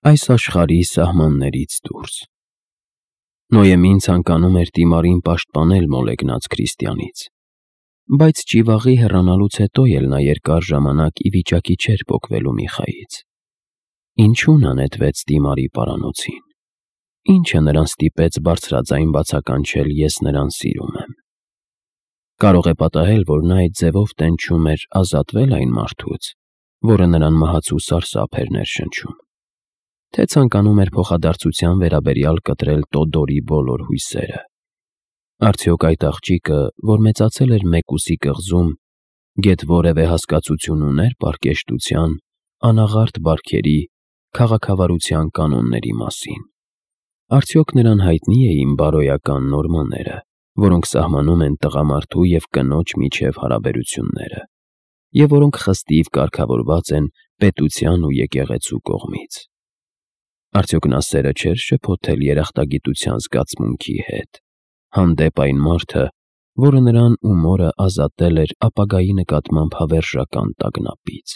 այս աշխարհի սահմաններից դուրս։ Նոյեմին ցանկանում էր Տիմարին պաշտպանել մոլեգնած քրիստիանից, բայց ճիվաղի հեռանալուց հետո էլ նա երկար ժամանակ ի վիճակի չէր պոկվելու Միխայից։ Ինչու նա նետվեց Տիմարի պարանոցին։ Ինչը նրան ստիպեց բարձրաձայն բացականչել «ես նրան սիրում եմ»։ Կարող է պատահել, որ նա այդ ձևով տենչում էր ազատվել այն մարդուց, որը նրան մահացու սարսափ էր ներշնչում, թե ցանկանում էր փոխադարձության վերաբերյալ կտրել Տոդորի բոլոր հույսերը։ Արդյոք այդ աղջիկը, որ մեծացել էր Մեկուսի կղզում, գեթ որևէ հասկացություն ուներ պարկեշտության, անաղարտ բարքերի, քաղաքավարության կանոնների մասին։ Արդյոք նրան հայտնի էին բարոյական նորմաները, որոնք սահմանում են տղամարդու և կնոջ միջև հարաբերությունները, և որոնք խստիվ կարգավորված են պետության ու եկեղեցու կողմից։ Արդյոք նա սերը չէր շփոթել երախտագիտության զգացմունքի հետ, հանդեպ այն մարդը, որը նրան ու մորը ազատել էր ապագայի նկատմամբ հավերժական տագնապից,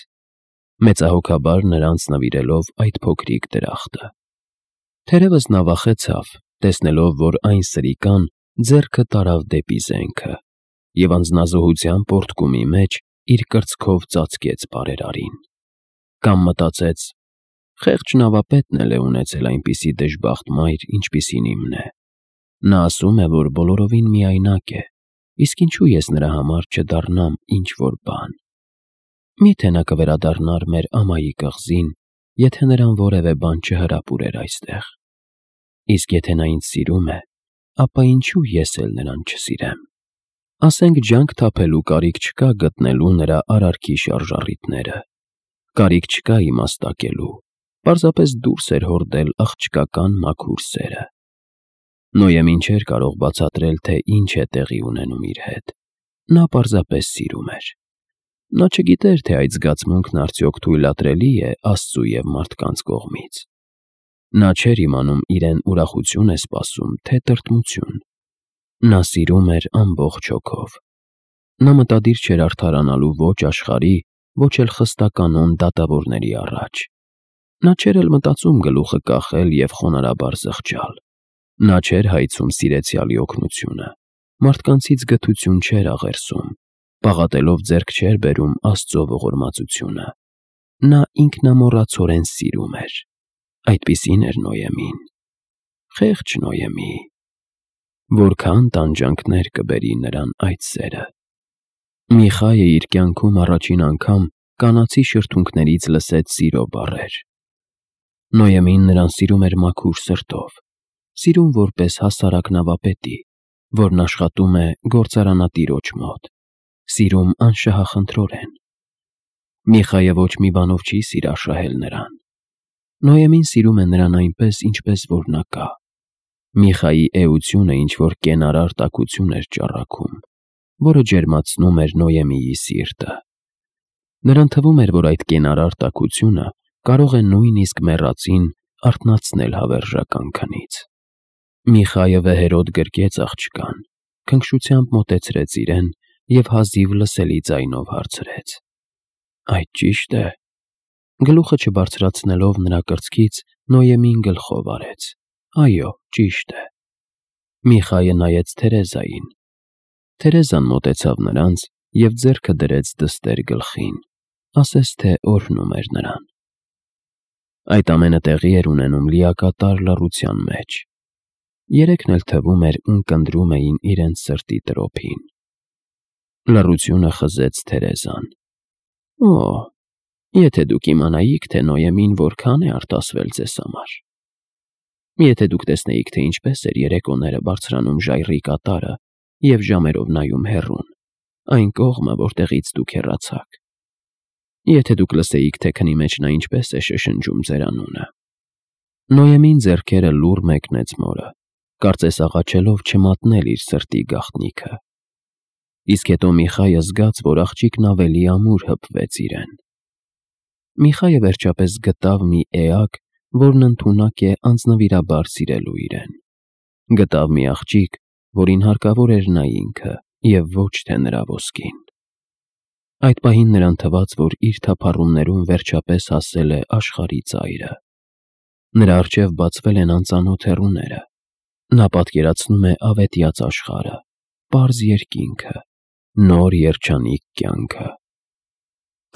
մեծահոգաբար նրանց նվիրելով այդ փոքրիկ դրախտը։ Թերևս նա վախեցավ, տեսնելով, որ այն սրիկան ձեռքը տարավ դեպի զենքը և անձնազոհության պոռթկումի մեջ իր կրծքով ծածկեց բարերարին։ Կամ մտածեց. խեղճ նավապետն էլ է ունեցել այնպիսի դժբախտ մայր, ինչպիսին իմն է։ Նա ասում է, որ բոլորովին միայնակ է, իսկ ինչու ես նրա համար չդառնամ ինչ-որ բան։ Միթե նա կվերադառնար մեր ամայի կղզին, եթե նրան որևէ բան չհրապուրեր այստեղ։ Իսկ եթե նա ինձ սիրում է, ապա ինչու ես էլ նրան չսիրեմ։ Ասենք ջանք թափելու կարիք չկա գտնելու նրա արարքի շարժառիթները, կարիք չկա իմաստակելու, պարզապես դուրս էր հորդել աղջկական մաքուր սերը։ Նոյեմին չէր կարող բացատրել, թե ինչ է տեղի ունենում իր հետ։ Նա պարզապես սիրում էր։ Նա չգիտեր, թե այդ զգացմունքն արդյոք թույլատրելի է Աստծու և մարդկանց կողմից։ Նա չէր իմանում իրեն ուրախություն է սպասում, թե տրտմություն։ Նա սիրում էր ամբողջ հոգով։ Նա մտադիր չէր արդարանալու ոչ աշխարհի, ոչ էլ խստականոն դատավորների առաջ։ Նա չէր էլ մտածում գլուխը կախել և խոնարհաբար զղջալ։ Նա չէր հայցում սիրեցյալի օգնությունը, մարդկանցից գթություն չէր աղերսում, պաղատելով ձեռք չէր բերում Աստծո ողորմածությունը։ Նա ինքնամոռացորեն սիրում էր։ Այդպիսին էր Նոյեմին։ Խեղճ Նոյեմի։ Որքան տանջանքներ կբերի նրան այդ սերը։ Միխայը իր կյանքում առաջին անգամ կանացի շրթունքներից լսեց սիրո բառեր։ Նոյեմին նրան սիրում էր մաքուր սրտով, սիրում որպես հասարակ նավապետի, որն աշխատում է գործարանատիրոջ մոտ, սիրում անշահախնդրորեն։ Միխայը ոչ մի բանով չի սիրաշահել նրան։ Նոյեմին սիրում է նրան այնպես, ինչպես որ նա կա։ Միխայի էությունը ինչ-որ կենարար տաքություն էր ճառագում, որը ջերմացնում էր Նոյեմիի սիրտը։ Նրան թվում էր, որ այդ կենարար տաքությունը կարող է նույնիսկ մեռածին արթնացնել հավերժական քնից։ Միխայը վեհերոտ գրկեց աղջկան, քնքշությամբ մոտեցրեց իրեն և հազիվ լսելի ձայնով հարցրեց. «Այդ ճի՞շտ է»։ Գլուխը չբարձրացնելով նրա կրծքից Նոյեմին գլխով արեց. «Այո, ճիշտ է»։ Միխայը նայեց Թերեզային։ Թերեզան մոտեցավ նրանց և ձեռքը դրեց դստեր գլխին, ասես թե օրհնում էր նրան։ Այդ ամենը տեղի էր ունենում լիակատար լռության մեջ։ Երեքն էլ թվում էր ունկնդրում էին իրենց սրտի տրոփին։ Լռությունը խզեց Թերեզան։ «Օ, եթե դուք իմանայիք, թե Նոյեմին որքան է արտասվել ձեզ համար։ Եթե դուք տեսնեիք, թե ինչպես էր երեկոները բարձրանում ժայռի կատարը և ժամերով նայում հեռուն, այն կողմը, որտեղից դուք հեռացաք։ Եթե դուք լսեիք, թե քնի մեջ նա ինչպես է շշնջում ձեր անունը»։ Նոյեմին ձեռքերը լուռ մեկնեց մորը, կարծես աղաչելով չմատնել իր սրտի գաղտնիքը։ Իսկ հետո Միխայը զգաց, որ աղջիկն ավելի ամուր հպվեց իրեն։ Միխայը վերջապես գտավ մի էակ, որն ընդունակ է անձնվիրաբար սիրելու իրեն։ Գտավ մի աղջիկ, որին հարկավոր էր նա ինքը, և ոչ թե նրա ոսկին։ Այդ պահին նրան թվաց, որ իր թափառումներում վերջապես հասել է աշխարհի ծայրը։ Նրա առջև բացվել են անծանոթ հեռուները։ Նա պատկերացնում է ավետյաց աշխարհը, պարզ երկինքը, նոր երջանիկ կյանքը։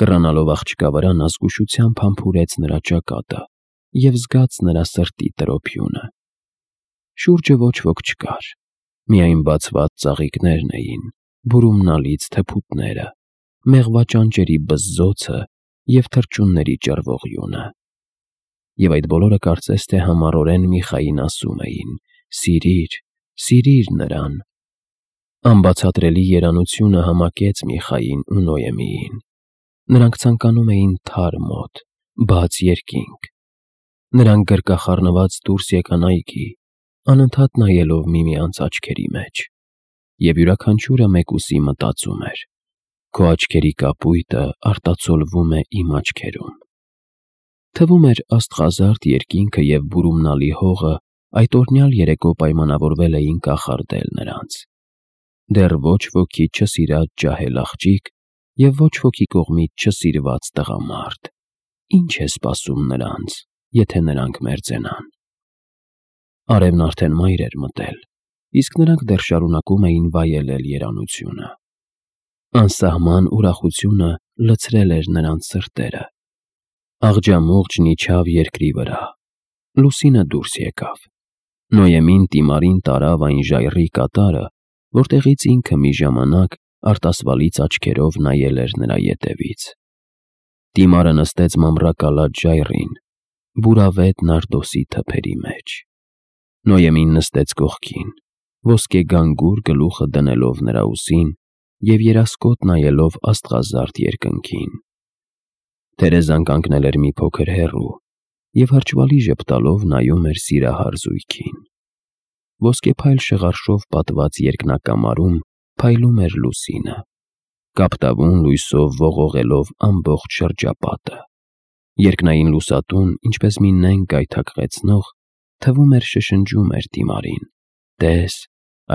Կռանալով աղջկա վրա նա զգուշությամբ համբուրեց նրա ճակատը և զգաց նրա սրտի տրոփյունը։ Շուրջը ոչ ոք չկար, միայն բացված ծաղիկներն էին, բուրումնալից թփուտները, մեղվա ճանճերի բզզոցը և թռչունների ճռվողյունը։ Եվ այդ բոլորը կարծես թե համառորեն Միխային ասում էին. «Սիրիր, սիրիր նրան»։ Անբացատրելի երանությունը համակեց Միխային ու Նոյեմիին։ Նրանք ցանկանում էին թարմ օդ, բաց երկինք։ Նրանք գրկախառնված դուրս եկան այգի, անընդհատ նայելով միմյանց աչքերի մեջ։ Եվ յուրաքանչյուրը մեկուսի մտածում էր. «Քո աչքերի կապույտը արտացոլվում է իմ աչքերում»։ Թվում էր աստղազարդ երկինքը և բուրումնալի հողը այդ օրնյալ երեկո պայմանավորվել էին կախարդել նրանց։ Դեռ ոչ ոքի չսիրած ջահել աղջիկ և ոչ ոքի կողմից չսիրված տղամարդ։ Ինչ է սպասում նրանց, եթե նրանք մերձենան։ Արևն արդեն մայր էր մտել, իսկ նրանք դեռ շարունակում էին վայելել երանությունը։ Անսահման ուրախությունը լցրել էր նրանց սրտերը։ Աղջամուղջն իջավ երկրի վրա։ Լուսինը դուրս եկավ։ Նոյեմին Տիմարին տարավ այն ժայռի կատարը, որտեղից ինքը մի ժամանակ արտասվալից աչքերով նայել էր նրա ետևից։ Տիմարը նստեց մամռակալած ժայռին, բուրավետ նարդոսի թփերի մեջ։ Նոյեմին նստեց կողքին, ոսկեգանգուր գլուխը դնելով նրա ուսին և երասկոտ նայելով աստղազարդ երկնքին։ Թերեզան կանգնել էր մի փոքր հեռու և հրճվալի ժպտալով նայում էր սիրահար զույգին։ Ոսկեփայլ շղարշով պատված երկնակամարում փայլում էր լուսինը, կապտավուն լույսով ողողելով ամբողջ շրջապատը։ Երկնային լուսատուն, ինչպես մի նենգ գայթակղեցնող, թվում էր շշնջում էր Տիմարին. «Տես,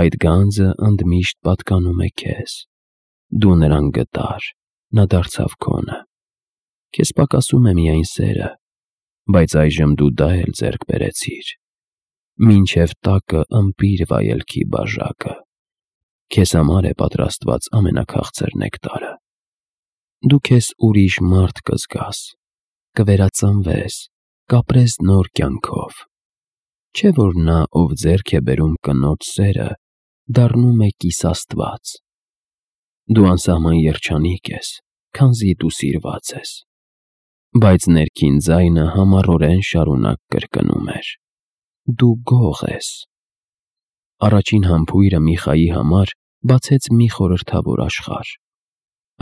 այդ գանձը ընդմիշտ պատկանում է քեզ։ Դու նրան գտար, նա դարձավ քոնը։ Քեզ պակասում է միայն սերը, բայց այժմ դու դա էլ ձեռք բերեցիր։ Մինչև տակը ըմպիր վայելքի բաժակը։ Քեզ համար է պատրաստված ամենաքաղցր նեկտարը։ Դու քեզ ուրիշ մարդ կզգաս, կվերածնվես, կապրես նոր կյանքով։ Չէ՞ որ նա, ով ձեռք է բերում կնոջ սերը, դառնում է կիսաստված։ Դու անսահման երջանիկ ես, քանզի դու սիրված ես»։ Բայց ներքին ձայնը համառորեն շարունակ կրկնում էր. «Դու գող ես»։ Առաջին համբույրը Միխայի համար բացեց մի խորհրդավոր աշխարհ։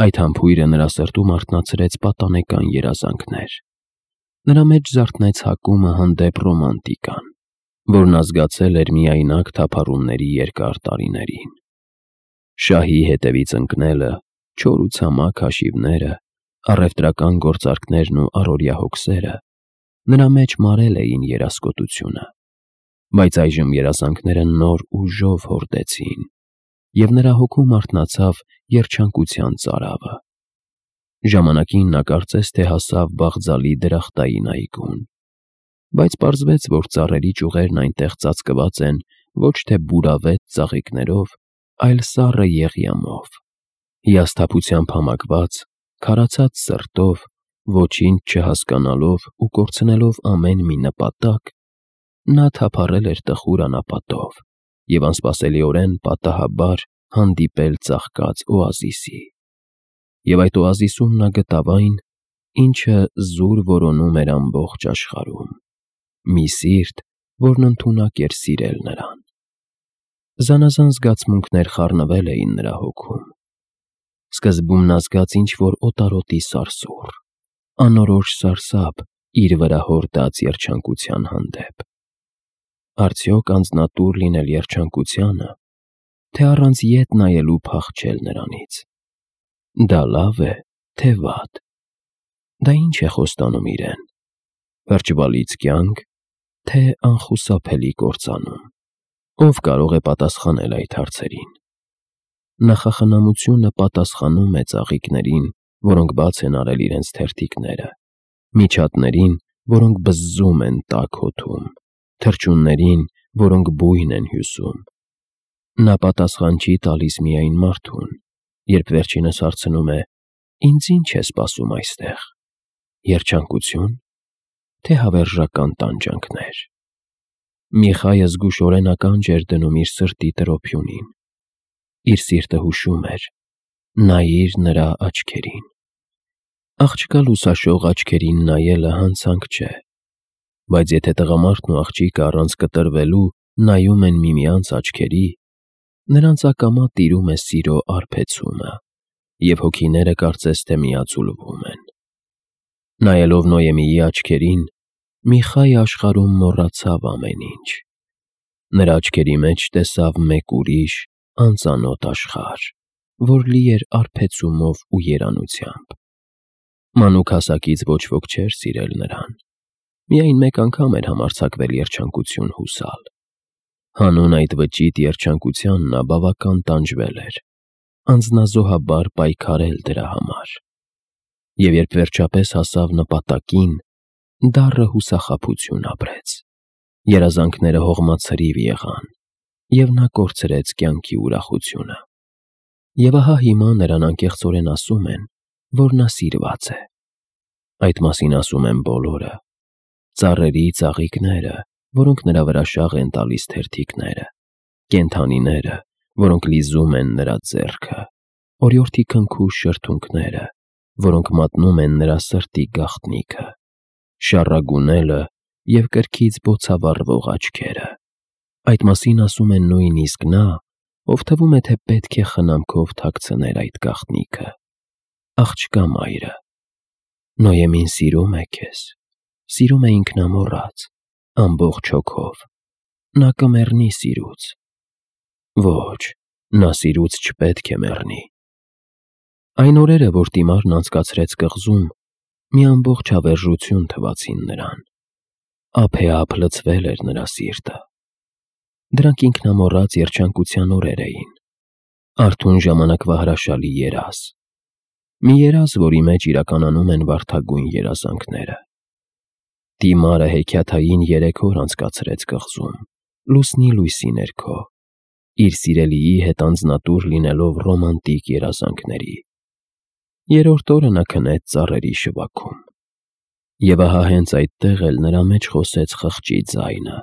Այդ համբույրը նրա սրտում արթնացրեց պատանեկան երազանքներ։ Նրա մեջ զարթնեց հակումը հանդեպ ռոմանտիկան, որն ազգացել էր միայնակ թափառումների երկար տարիներին։ Շահի հետևից ընկնելը, չոր ու ցամաք հաշիվները, առևտրական գործարքներն ու առօրյա հոգսերը նրա մեջ մարել էին երասկոտությունը։ Բայց այժմ երազանքները նոր ուժով հորդեցին, և նրա հոգում արթնացավ երջանկության ծարավը։ Ժամանակին նա կարծես թե հասավ Բաղձալի դրախտային այգուն, բայց պարզվեց, որ ծառերի ճյուղերն այնտեղ ծածկված են ոչ թե բուրավետ ծաղիկներով, այլ սառը եղյամով։ Հիասթափությամբ համակված, քարացած սրտով, ոչինչ չհասկանալով ու կորցնելով ամեն մի նպատակ, նա թափառել էր տխուր անապատով և անսպասելիորեն պատահաբար հանդիպել ծաղկած օազիսի։ Եվ այդ օազիսում նա գտավ այն, ինչը զուր որոնում էր ամբողջ աշխարհում՝ մի սիրտ, որն ընդունակ էր սիրել նրան։ Զանազան զգացմունքներ խառնվել էին նրա հոգում։ Սկզբում նա զգաց ինչ-որ օտարոտի սարսուռ, անորոշ սարսափ իր վրա հորդած երջանկության հանդեպ։ Արդյոք անձնատուր լինել երջանկությանը, թե առանց ետ նայելու փախչել նրանից։ Դա լավ է, թե վատ։ Դա ինչ է խոստանում իրեն՝ հրճվալից կյանք, թե անխուսափելի կործանում։ Ով կարող է պատասխանել այդ հարցերին։ Նախախնամությունը պատասխանում է ծաղիկներին, որոնք բաց են արել իրենց թերթիկները, միջատներին, որոնք բզզում են տաք հոթում, թռչուններին, որոնք բույն են հյուսում։ Նա պատասխան չի տալիս միայն մարդուն, երբ վերջինս հարցնում է. «Ինձ ինչ է սպասում այստեղ, երջանկություն, թե հավերժական տանջանքներ»։ Միխայը զգուշորեն ականջ էր դնում իր սրտի տրոփյունին։ Իր սիրտը հուշում էր. նայիր նրա աչքերին։ Աղջկա լուսաշող աչքերին նայելը հանցանք չէ, բայց եթե տղամարդն ու աղջիկը առանց կտրվելու նայում են միմյանց աչքերի, նրանց ակամա տիրում է սիրո արբեցումը, և հոգիները կարծես թե միաձուլվում են։ Նայելով Նոյեմիի աչքերին, Միխայը աշխարհում մոռացավ ամեն ինչ։ Նրա աչքերի մեջ տեսավ մեկ ուրիշ, անծանոթ աշխարհ, որ լի էր արբեցումով ու երանությամբ։ Մանուկ հասակից ոչ ոք չէր սիրել նրան։ Միայն մեկ անգամ էր համարձակվել երջանկություն հուսալ։ Հանուն այդ վճիտ երջանկության նա բավական տանջվել էր, անձնազոհաբար պայքարել դրա համար։ Եվ երբ վերջապես հասավ նպատակին, դառը հուսախաբություն ապրեց։ Երազանքները հողմացրիվ եղան, և նա կորցրեց կյանքի ուրախությունը։ Եվ ահա հիմա նրան անկեղծորեն ասում են, որ նա սիրված է։ Այդ մասին ասում են բոլորը, ծառերի ծաղիկները, որոնք նրա վրա շաղ են տալիս թերթիկները, կենդանիները, որոնք լիզում են նրա ձեռքը, օրիորդի քնքուշ շրթունքները, որոնք մատնում են նրա սրտի գաղտնիքը, շառագունելը և կրքից բոցավառվող աչքերը։ Այդ մասին ասում են նույնիսկ նա, ով թվում է, թե պետք է խնամքով թաքցներ այդ գաղտնիքը։ Աղջկա մայրը, Նոյեմին սիրում է քեզ, սիրում է ինքնամոռաց, ամբողջ հոգով։ Նա կմեռնի սիրուց։ Ոչ, նա սիրուց չպետք է մեռնի։ Այն օրերը, որ Տիմարն անցկացրեց կղզում, մի ամբողջ հավերժություն թվացին նրան։ Ափեափ լցվել էր նրա սիրտը։ Դրանք ինքնամոռաց երջանկության օրեր էին։ Արթուն ժամանակվա հրաշալի երազ։ Մի երազ, որի մեջ իրականանում են վարդագույն երազանքները։ Տիմարը հեքիաթային 3 օր անցկացրեց կղզում, լուսնի լույսի ներքո, իր սիրելիի հետ անձնատուր լինելով ռոմանտիկ երազանքների։ Երրորդ օրը նա քնեց ծառերի շվաքում։ Եվ ահա հենց այդտեղ էլ նրա մեջ խոսեց խղճի ձայնը,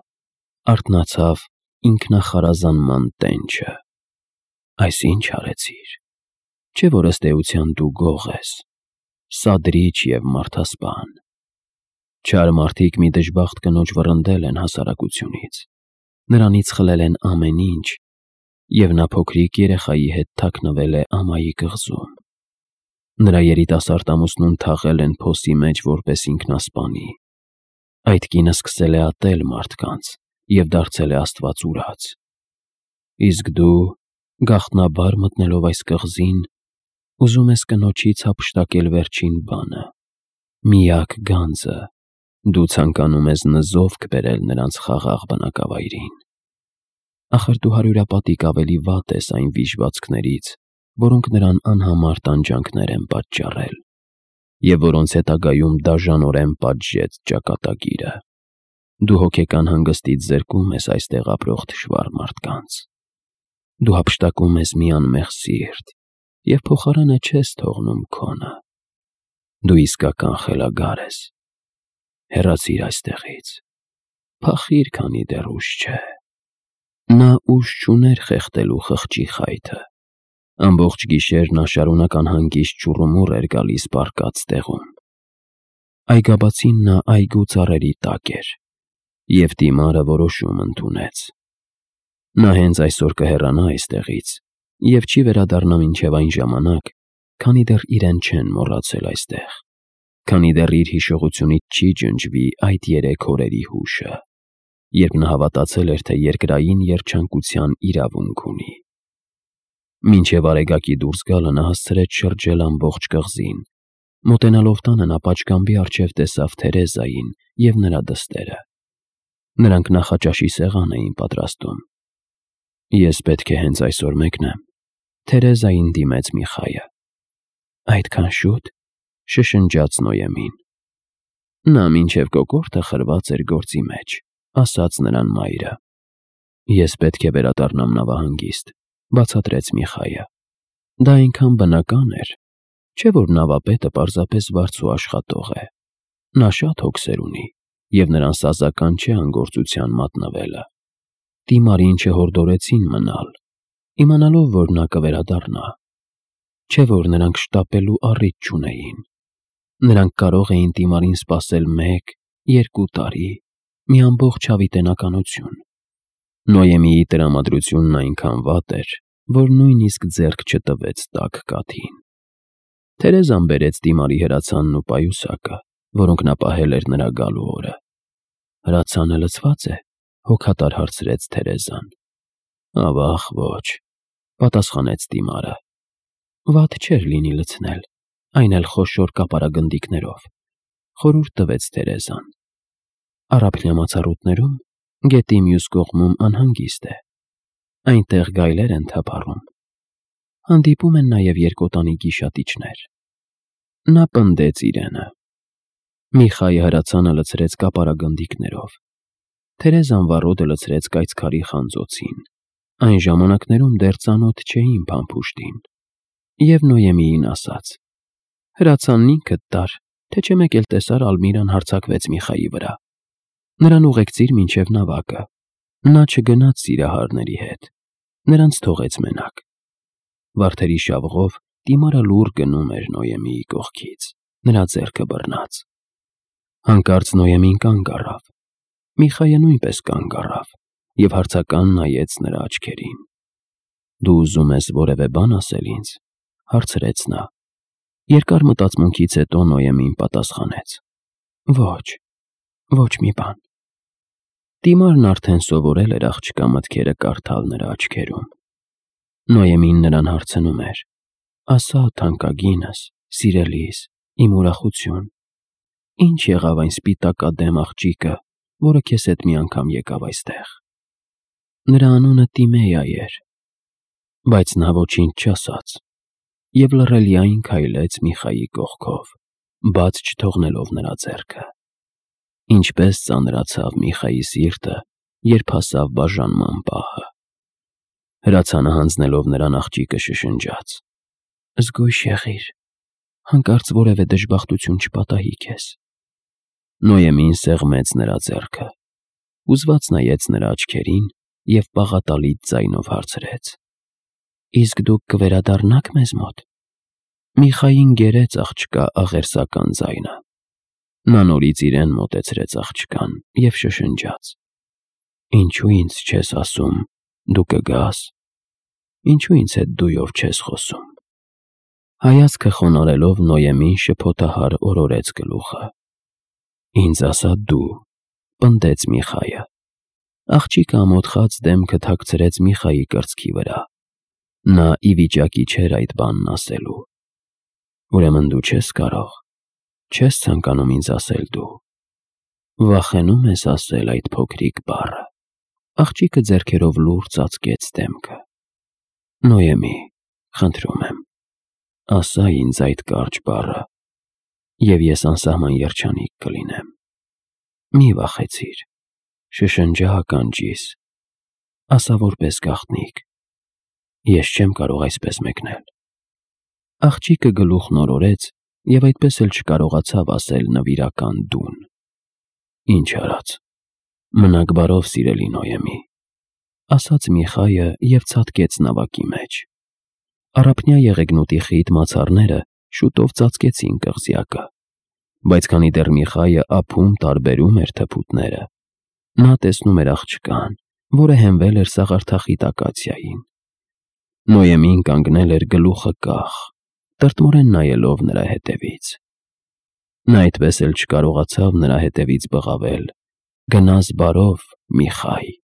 արթնացավ ինքնախարազանման տենչը։ Այս ինչ արեցիր, չէ՞ որ ըստ էության դու գող ես, սադրիչ և մարդասպան։ Չար մարդիկ մի դժբախտ կնոջ վռնդել են հասարակությունից, նրանից խլել են ամեն ինչ, և նա փոքրիկ երեխայի հետ թաքնվել է ամայի կղզում։ Նրա երիտասարդ ամուսնուն թաղել են փոսի մեջ որպես ինքնասպանի։ Այդ կինը սկսել է ատել մարդկանց և դարձել է աստված ուրաց։ Իսկ դու, գաղտնաբար մտնելով այս կղզին, ուզում ես կնոջից հափշտակել վերջին բանը, միակ գանձը, դու ցանկանում ես նզովք բերել նրանց խաղաղ բնակավայրին։ Ախր դու հարյուրապատիկ ավելի վատ ես այն վիժվածքներից, որոնք նրան անհամար տանջանքներ են պատճառել, և որոնց հետագայում դաժանորեն պատժեց ճակատագիրը։ Դու հոգեկան հանգստից զրկում ես այստեղ ապրող թշվառ մարդկանց։ Դու հափշտակում ես մի անմեղ սիրտ և փոխարենը չես թողնում քոնը։ Դու իսկական խելագար ես։ Հեռացիր այստեղից, փախիր, քանի դեռ ուշ չէ։ Նա ուժ չուներ խեղդելու խղճի խայթը։ Ամբողջ գիշեր նա շարունակ անհանգիստ ճուռումուռ էր գալիս պառկած տեղում։ Այգաբացին նա այգու ծառերի տակ էր, և Տիմարը որոշում ընդունեց։ Նա հենց այսօր կհեռանա այստեղից և չի վերադառնա մինչև այն ժամանակ, քանի դեռ իրեն չեն մոռացել այստեղ, քանի դեռ իր հիշողությունից չի ջնջվի այդ 3 օրերի հուշը, երբ նա հավատացել էր, թե երկրային երջանկության իրավունք ունի։ Մինչև Արեգակի դուրս գալը նա հասցրեց շրջել ամբողջ կղզին։ Մոտենալով տանը նա պատշգամբի առջև տեսավ Թերեզային և նրա դստերը։ Նրանք նախաճաշի սեղան էին պատրաստում։ Ես պետք է հենց այսօր մեկնեմ, Թերեզային դիմեց Միխայը։ Այդքան շո՞ւտ, շշնջաց Նոյեմին։ Նա մինչև կոկորդը խրված էր գործի մեջ, ասաց նրան մայրը։ Ես պետք է վերադառնամ նավահանգիստ, բացատրեց Միխայը։ Դա այնքան բնական էր, չէ՞ որ նավապետը պարզապես վարձու աշխատող է։ Նա շատ հոգսեր ունի, և նրան սազական չէ անգործության մատնվելը։ Տիմարին չհորդորեցին մնալ, իմանալով, որ նա կվերադառնա։ Չէ՞ որ նրանք շտապելու առիթ չունեին։ Նրանք կարող էին Տիմարին սպասել 1-2 տարի, մի ամբողջ հավիտենականություն։ Նոյեմիի տրամադրությունն այնքան վատ էր, որ նույնիսկ ձեռք չտվեց տաք կաթին։ Թերեզան բերեց Տիմարի հրացանն ու պայուսակը, որոնք նա պահել էր նրա գալու օրը։ Հրացանը լցվա՞ծ է, հոգատար հարցրեց Թերեզան։ Ավաղ ոչ, պատասխանեց Տիմարը։ Վատ չէր լինի լցնել, այն էլ խոշոր կապարագնդիկներով, խորհուրդ տվեց Թերեզան։ Առափնյա մացառուտներում գետի մյուս կողմում անհանգիստ է։ Այնտեղ գայլեր են թափառում։ Հանդիպում են նաև երկոտանի գիշատիչներ։ Նա պնդեց իրենը։ Միխայը հրացանը լցրեց կապարագնդիկներով։ Թերեզան վառոդը լցրեց կայծքարի խանձոցին։ Այն ժամանակներում դեռ ծանոթ չէին փամփուշտին։ Եվ Նոյեմիին ասաց. հրացանն ինքդ տար, թե չէ մեկ էլ տեսար Ալմիրան հարձակվեց Միխայի վրա։ Նրան ուղեկցիր մինչև նավակը։ Նա չգնաց սիրահարների հետ, նրանց թողեց մենակ։ Վարդերի շավղով Տիմարը լուռ գնում էր Նոյեմիի կողքից, նրա ձեռքը բռնած։ Հանկարծ Նոյեմին կանգ առավ։ Միխայը նույնպես կանգ առավ և հարցական նայեց նրա աչքերին։ Դու ուզում ես որևէ բան ասել ինձ, հարցրեց նա։ Երկար մտածմունքից հետո Նոյեմին պատասխանեց. Ոչ մի բան։ Տիմարն արդեն սովորել էր աղջկա մտքերը կարդալ նրա աչքերում։ Նոյեմին նրան հարցնում էր. ասա, թանկագինս, սիրելիս, իմ ուրախություն, ինչ եղավ այն սպիտակադեմ աղջիկը, որը քեզ հետ մի անգամ եկավ այստեղ։ Նրա անունը Տիմեյա էր, բայց նա ոչինչ չասաց և լռելիային քայլեց Միխայի կողքով, բաց չթողնելով նրա ձեռքը։ Ինչպես ծանրացավ Միխայի սիրտը, երբ հասավ բաժանման պահը։ Հրացանը հանձնելով նրան աղջիկը շշնջաց. զգույշ եղիր, հանկարծ որևէ դժբախտություն չպատահի քեզ։ Նոյեմին սեղմեց նրա ձեռքը, հուզված նայեց նրա աչքերին և պաղատալից ձայնով հարցրեց. իսկ դուք կվերադառնա՞ք մեզ մոտ։ Միխային գերեց աղջկա աղերսական ձայնը։ Նա նորից իրեն մոտեցրեց աղջկան և շշնջաց. ինչու ինձ չես ասում, դու կգաս, ինչու ինձ հետ դույով չես խոսում։ Հայացքը խոնարհելով Նոյեմին շփոթահար օրորեց գլուխը։ Ինձ ասա դու, պնդեց Միխայը։ Աղջիկը ամոթխած դեմքը թաքցրեց Միխայի կրծքի վրա։ Նա ի վիճակի չէր այդ բանն ասելու։ Ուրեմն դու չես կարող, չես ցանկանում ինձ ասել դու։ Վախենում ես ասել այդ փոքրիկ բառը։ Աղջիկը ձեռքերով լուռ ծածկեց դեմքը։ Նոյեմի, խնդրում եմ, ասա ինձ այդ կարճ բառը, և ես անսահման երջանիկ կլինեմ։ Մի վախեցիր, շշնջա ականջիս, ասա որպես գաղտնիք։ Ես չեմ կարող այսպես մեկնել։ Աղջիկը գլուխն օրորեց և այդպես էլ չկարողացավ ասել նվիրական դուն։ Ինչ արած, մնաք բարով, սիրելի Նոյեմի, ասաց Միխայը և ցատկեց նավակի մեջ։ Առափնյա եղեգնուտի խիտ մացառները շուտով ծածկեցին կղզյակը, բայց քանի դեռ Միխայը ափում տարբերում էր թփուտները, նա տեսնում էր աղջկան, որը հենվել էր սաղարթախիտ ակացիային։ Նոյեմին կանգնել էր գլուխը կախ, տրտմորեն նայելով նրա հետևից։ Նա այդպես էլ չկարողացավ նրա հետևից բղավել. գնաս բարով, Միխայ։